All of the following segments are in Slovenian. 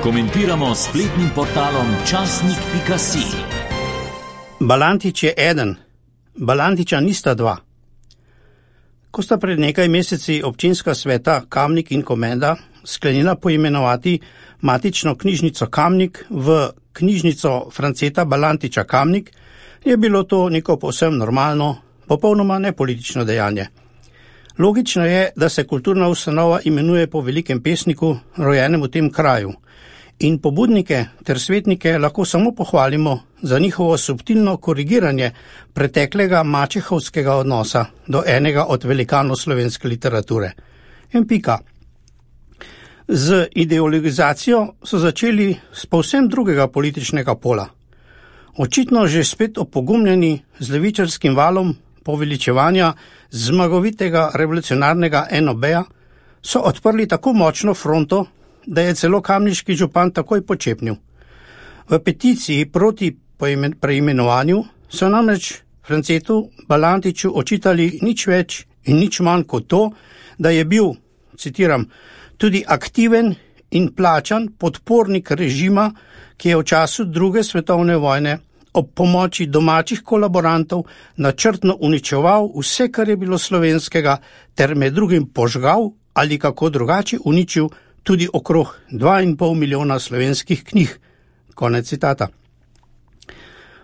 Komentiramo s spletnim portalom časnik.si. Balantič je eden, Balantiča nista dva. Ko sta pred nekaj meseci občinska sveta Kamnik in Komenda sklenila poimenovati matično knjižnico Kamnik v knjižnico Franceta Balantiča Kamnik, je bilo to neko povsem normalno, popolnoma nepolitično dejanje. Logično je, da se kulturna ustanova imenuje po velikem pesniku, rojenem v tem kraju, in pobudnike ter svetnike lahko samo pohvalimo za njihovo subtilno korigiranje preteklega mačehovskega odnosa do enega od velikanov slovenske literature. In pika. Z ideologizacijo so začeli z povsem drugega političnega pola. Očitno že spet opogumljeni z levičarskim valom poveličevanja zmagovitega revolucionarnega NOB-ja so odprli tako močno fronto, da je celo kamniški župan takoj počepnil. V peticiji proti preimenovanju so namreč Francetu Balantiču očitali nič več in nič manj kot to, da je bil, citiram, tudi aktiven in plačan podpornik režima, ki je v času druge svetovne vojne ob pomoči domačih kolaborantov načrtno uničeval vse, kar je bilo slovenskega, ter med drugim požgal ali kako drugače uničil tudi okrog 2,5 milijona slovenskih knjig. Konec citata.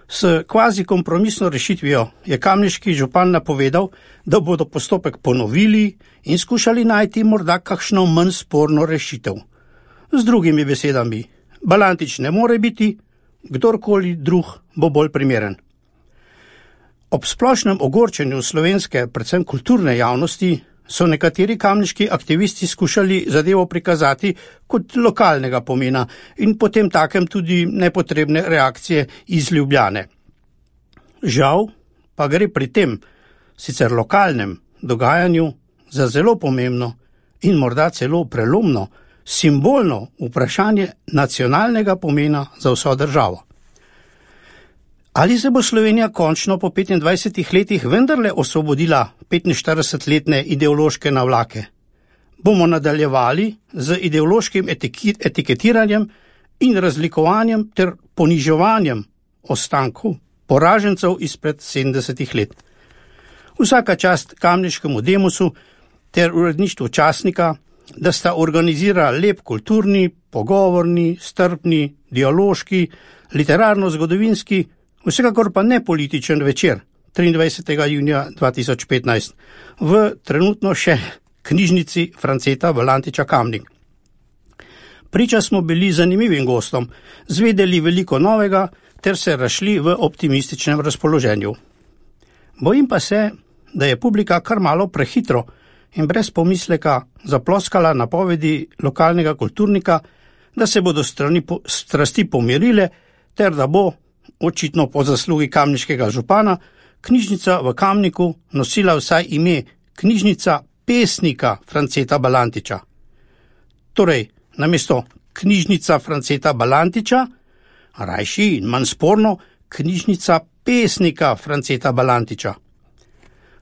S kvazi kompromisno rešitvijo je kamniški župan napovedal, da bodo postopek ponovili in skušali najti morda kakšno manj sporno rešitev. Z drugimi besedami, Balantič ne more biti, kdorkoli drug bo bolj primeren. Ob splošnem ogorčenju slovenske, predvsem kulturne javnosti, so nekateri kamniški aktivisti skušali zadevo prikazati kot lokalnega pomena in potem takem tudi nepotrebne reakcije iz Ljubljane. Žal pa gre pri tem, sicer lokalnem dogajanju, za zelo pomembno in morda celo prelomno, simbolno vprašanje nacionalnega pomena za vso državo. Ali se bo Slovenija končno po 25 letih vendarle osvobodila 45-letne ideološke navlake? Bomo nadaljevali z ideološkim etiketiranjem in razlikovanjem ter poniževanjem ostankov poražencev izpred 70 let. Vsaka čast kamniškemu Demosu ter uredništvu časnika, da sta organizirali lep kulturni, pogovorni, strpni, dialoški, literarno-zgodovinski, vsekakor pa ne političen večer 23. junija 2015 v trenutno še knjižnici Franceta Balantiča Kamnik. Priča smo bili zanimivim gostom, zvedeli veliko novega ter se razšli v optimističnem razpoloženju. Bojim pa se, da je publika kar malo prehitro in brez pomisleka zaploskala napovedi lokalnega kulturnika, da se bodo strasti pomirile ter da bo, očitno po zaslugi kamniškega župana, knjižnica v Kamniku nosila vsaj ime knjižnica pesnika Franceta Balantiča. Torej, namesto knjižnica Franceta Balantiča, rajši in manj sporno, knjižnica pesnika Franceta Balantiča.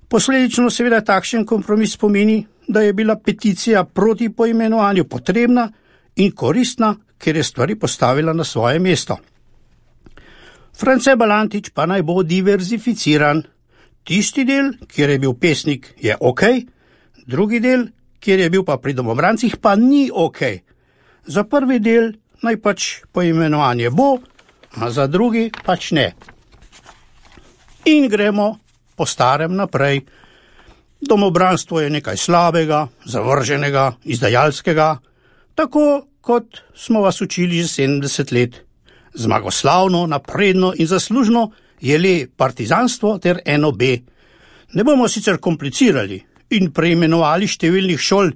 Posledično seveda takšen kompromis pomeni, da je bila peticija proti poimenovanju potrebna in koristna, ker je stvari postavila na svoje mesto. France Balantič pa naj bo diverzificiran. Tisti del, kjer je bil pesnik, je ok, drugi del, kjer je bil pa pri domobrancih, pa ni ok. Za prvi del naj pač poimenovanje bo, a za drugi pač ne. In gremo po starem naprej. Domobranstvo je nekaj slabega, zavrženega, izdajalskega, tako kot smo vas učili že 70 let. Zmagoslavno, napredno in zaslužno je le partizanstvo ter NOB. Ne bomo sicer komplicirali in preimenovali številnih šol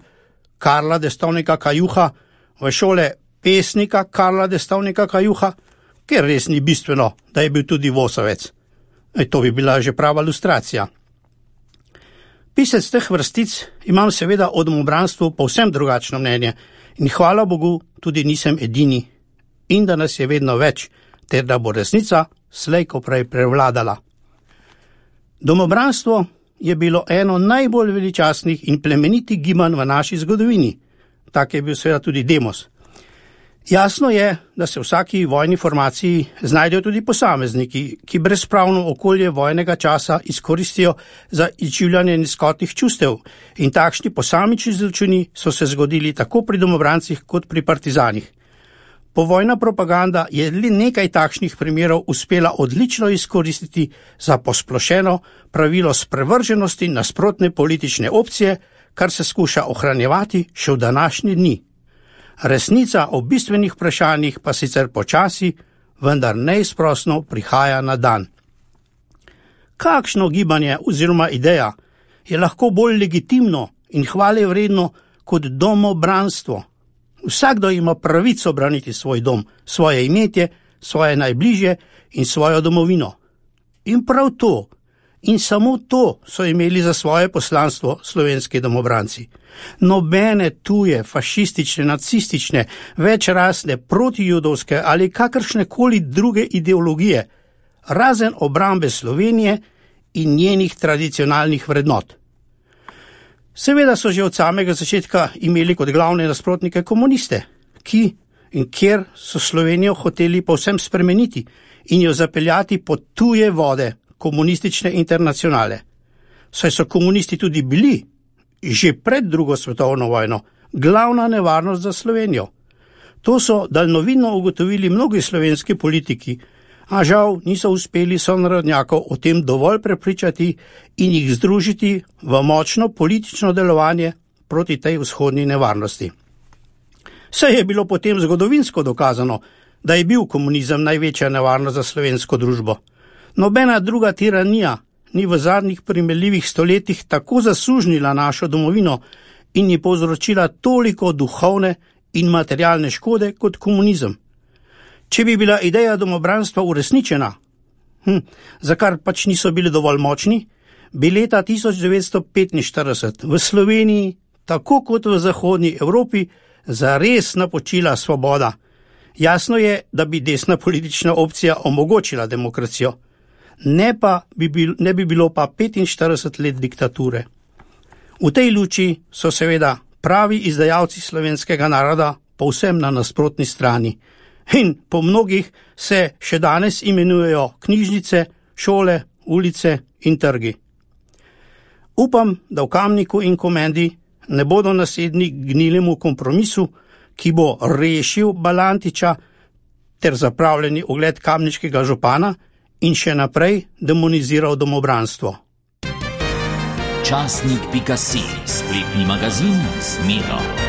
Karla Destovnika Kajuha v šole pesnika Karla Destovnika Kajuha, ker res ni bistveno, da je bil tudi Vosovec. To bi bila že prava ilustracija. Pisec teh vrstic imam seveda o domobranstvu povsem drugačno mnenje in hvala Bogu tudi nisem edini. In da nas je vedno več, ter da bo resnica slej ko prej prevladala. Domobranstvo je bilo eno najbolj veličastnih in plemenitih gibanj v naši zgodovini. Tak je bil seveda tudi Demos. Jasno je, da se v vsaki vojni formaciji znajdejo tudi posamezniki, ki brezpravno okolje vojnega časa izkoristijo za izživljanje nizkotnih čustev, in takšni posamični zločini so se zgodili tako pri domobrancih kot pri partizanih. Povojna propaganda je le nekaj takšnih primerov uspela odlično izkoristiti za posplošeno pravilo sprevrženosti nasprotne politične opcije, kar se skuša ohranjevati še v današnji dni. Resnica o bistvenih vprašanjih pa sicer počasi, vendar neizprosno prihaja na dan. Kakšno gibanje oziroma ideja je lahko bolj legitimno in hvalevredno kot domobranstvo? Vsakdo ima pravico braniti svoj dom, svoje imetje, svoje najbližje in svojo domovino. In prav to, in samo to so imeli za svoje poslanstvo slovenski domobranci. Nobene tuje, fašistične, nacistične, večrasne, protijudovske ali kakršnekoli druge ideologije, razen obrambe Slovenije in njenih tradicionalnih vrednot. Seveda so že od samega začetka imeli kot glavne nasprotnike komuniste, ki in kjer so Slovenijo hoteli povsem spremeniti in jo zapeljati pod tuje vode komunistične internacionale. Saj so komunisti tudi bili, že pred drugo svetovno vojno, glavna nevarnost za Slovenijo. To so daljnovidno ugotovili mnogi slovenski politiki, a žal niso uspeli sonarodnjakov o tem dovolj prepričati in jih združiti v močno politično delovanje proti tej vzhodni nevarnosti. Saj je bilo potem zgodovinsko dokazano, da je bil komunizem največja nevarnost za slovensko družbo. Nobena druga tiranija ni v zadnjih primerljivih stoletjih tako zasužnila našo domovino in ji povzročila toliko duhovne in materialne škode kot komunizem. Če bi bila ideja domobranstva uresničena, za kar pač niso bili dovolj močni, bi leta 1945 v Sloveniji, tako kot v zahodnji Evropi, zares napočila svoboda. Jasno je, da bi desna politična opcija omogočila demokracijo. Ne bi bilo pa 45 let diktature. V tej luči so seveda pravi izdajalci slovenskega naroda povsem na nasprotni strani. In po mnogih se še danes imenujejo knjižnice, šole, ulice in trgi. Upam, da v Kamniku in Komendi ne bodo nasedni gnilemu kompromisu, ki bo rešil Balantiča ter zapravljeni ugled kamniškega župana in še naprej demoniziral domobranstvo. Časnik.si, spletni magazin z Miro.